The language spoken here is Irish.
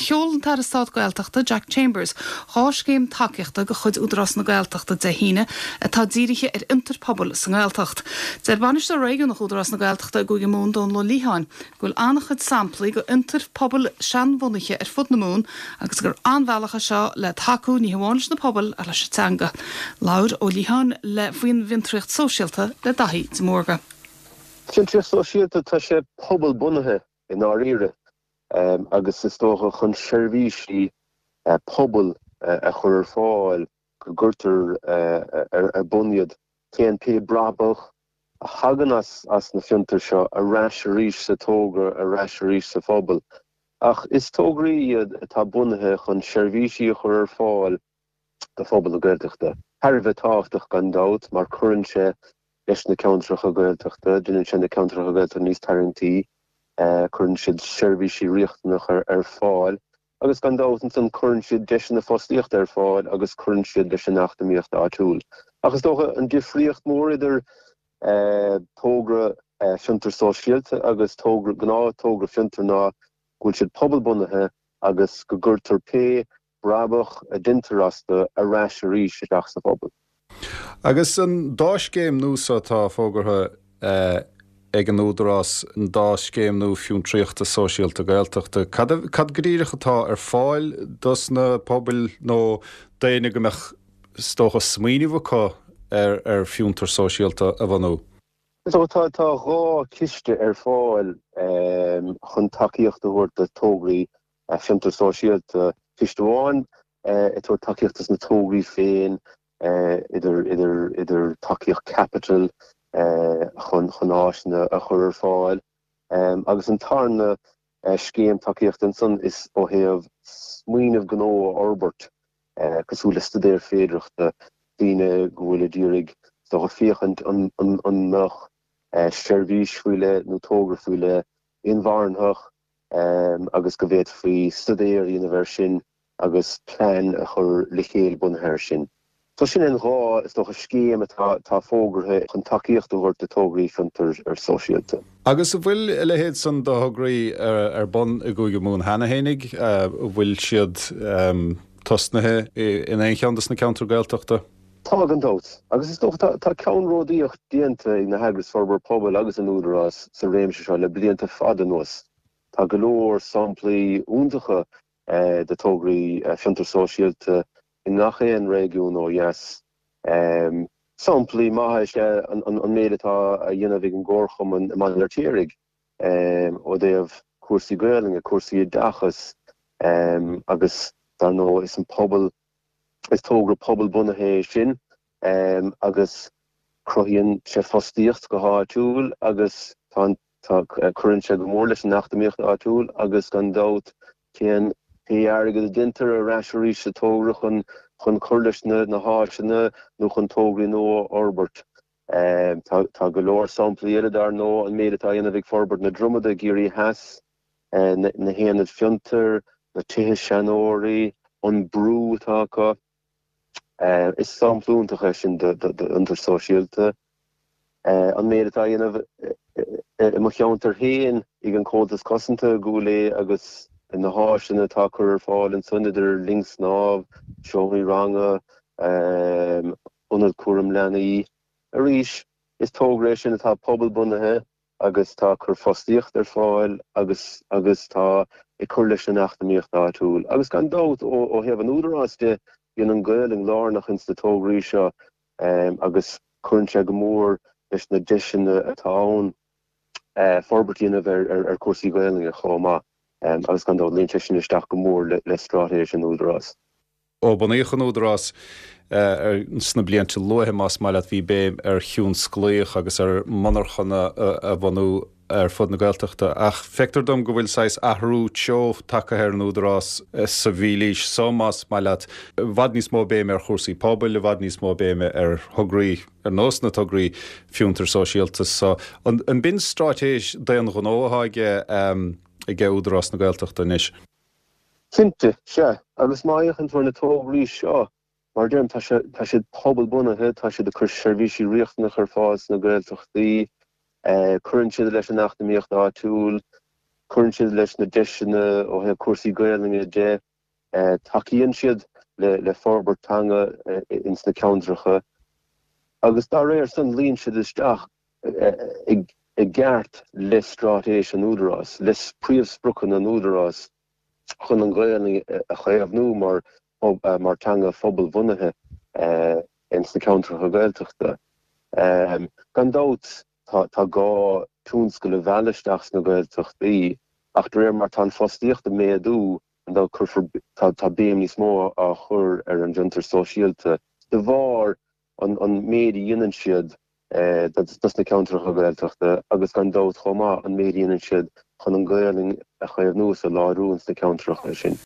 Sheol an tAire Stáit Gaeltachta, Jack Chambers, 2 scéim tacaíochta de chuid Údarás na Gaeltachta Dé hAoine atá dírithe ar fhiontair pobail sa nGaeltacht. Deir Bainisteoir Réigiúnach Údarás na Gaeltachta i gCúige Mumhan, Dónal Ó Liatháin, go bhfuil an-chuid samplaí de fhiontair pobail seanbhunaithe ar fud na Mumhan agus gur an-bhealach é seo le tacú ní hamháin leis na pobail ach leis an teanga. Labhair Ó Liatháin le faoin bhfiontraíocht sóisialta le Daithí de Mórdha. Fiontraíocht sóisialta, tá sé pobalbhunaithe i ndáiríre agus is dócha chun seirbhísí pobail a chur ar fáil go gcuirtear ar bun iad. Téann pé brabach a thagann as na fiontair seo ar ais arís sa togra, ar ais arís sa phobal. Ach is tograí iad atá bunaithe chun seirbhísí a chur ar fáil do phobal na Gaeltachta. Thar a bheith tábhachtach gan dabht mar cuireann sé leis na ceantracha Gaeltachta, déanann sé na ceantracha Gaeltachta níos tarraingtí, cuireann siad seirbhísí riachtanacha ar fáil agus gan dabht ansan cuireann siad deiseanna fostaíochta ar fáil agus cuireann siad leis an eacnamaíocht áitiúil. Ach is dócha an difríocht mór idir togra fiontar sóisialta agus togra, gnáth togra fiontair ná go bhfuil siad pobalbunaithe agus go gcuirtear pé brabach a deintear astu ar ais arís isteach sa phobal. Agus an dá scéim nua so atá fógartha ag an Údarás, an dá scéim nua fiontraíochta sóisialta Gaeltachta, cad, cad go díreach atá ar fáil dos na pobail nó daoine go mbeadh, is dócha, smaoineamh acu ar, ar fiontar sóisialta a bhunú? So tá tá 2 chiste ar fáil chun tacaíocht a thabhairt do tograí fiontar sóisialta, ciste amháin ag tabhairt tacaíocht dos na tograí féin, idir idir idir tacaíocht caipitil chun chun áiseanna a chur ar fáil, agus an tarna scéim tacaíochta ansan is ó thaobh smaoineamh gnó a fhorbairt, cosúil le staidéar féidearthachta, daoine go bhfuil ag iarraidh is dócha féachaint an an mbeadh seirbhís faoi leith nó togra faoi leith inmharthana agus go bhféadfaí staidéar a dhéanamh air sin agus plean a chur le chéile bunaithe air sin. So sin an dá, is dócha, scéim atá atá fógartha chun tacaíocht a thabhairt do tograí fiontair sóisialta. Agus an bhfuil a leithéid san de thograí ar bun i gCúige Mumhan cheana fhéinig? An bhfuil siad tosnaithe in aon cheann dos na ceantair Gaeltachta? Tá, gan dabht. Agus is dócha tá ceannródaíocht déanta ag na heagrais forbartha pobail agus an Údarás sa réimse seo le blianta fada anuas. Tá go leor samplaí iontacha de tograí fiontar sóisialta i ngach aon réigiún ó dheas. Samplaí maithe is ea an méid atá á dhéanamh ag an gComharchumann i mBaile an Fheirtéaraigh ó dtaobh cúrsaí Gaelainne, cúrsaí oideachais agus dar ndóigh is an pobal Is togra pobalbhunaithe é sin agus cruthaíonn sé fostaíocht go háitiúil agus tá tá cuireann sé go mór leis an eacnamaíocht áitiúil agus gan dabht téann pé airgead a deintear ar ais arís sa togra chun chun cur leis na na háiseanna nó chun tograí nua a fhorbairt. Tá tá go leor samplaí eile dar ndóigh, an méid atá á dhéanamh ag Forbairt na Dromada i gCiarraí Theas, na haonaid fiontair, na tithe seanóirí, an brú atá acu. Is sampla iontach é sin d'fhiontar sóisialta. An méid atá á dhéanamh i mo cheantar féin ag an Comhaltas Cosanta i gCúil Aodha agus na háiseanna atá á cur ar fáil ansan idir linn snámh, seomraí ranga, ionad cúram leanaí. Arís, is togra é sin atá pobalbhunaithe agus tá ag cur fostaíocht ar fáil agus agus tá ag cur leis an eacnamaíocht áitiúil. Agus gan dabht, ó thaobh an Údaráis de, bíonn an Ghaelainn lárnach ins na tograí seo agus cuireann sé go mór leis na deiseanna atá ann forbairt a dhéanamh ar chúrsaí Gaelainne chomh maith agus gan dabht luíonn sé sin isteach go mór le straitéis an Údaráis. Ó bunaíodh an Údarás sna blianta luaithe, más maith leat, bhí béim ar thionsclaíoch agus ar mhonarchana a bhunú ar fud na Gaeltachta. Ach feictear dom go bhfuil saghas athrú treo tagtha ar an Údarás sa mhílaois so, más maith leat. I bhfad níos mó béime ar chúrsaí pobail, i bhfad níos mó béime ar thograí ar nós na tograí fiontar sóisialta so. An b'in straitéis d'aon ghnó atá aige Údarás na Gaeltachta anois? Cinnte, sea. Agus má fhéachann tú ar na tograí seo, mar a deirim, tá sé, tá siad pobalbhunaithe, tá siad ag cur seirbhísí riachtanacha ar fáil sna Gaeltachtaí, cuireann siad leis an eacnamaíocht áitiúil. Cuireann siad leis na deiseanna ó thaobh cúrsaí Gaelainne de. Tacaíonn siad le forbairt teanga ins na ceantracha agus dá réir san luíonn siad isteach i gceart le straitéis an Údaráis, le príomhspriocanna an Údaráis chun an Ghaelainn a chaomhnú mar mar teanga phobalbhunaithe ins na ceantracha Gaeltachta. Gan dabht tá gá tionscal a mhealladh isteach sna Gaeltachtaí ach de réir mar tá an fostaíocht ag méadú, gan dabht cuirfear, tá béim níos mó á chur ar an bhfiontar sóisialta de bharr an méid a dhéanann siad dos na ceantracha Gaeltachta agus gan dabht chomh maith an méid a dhéanann siad chun an Ghaelainn a chaomhnú is a láidriú ins na ceantracha sin.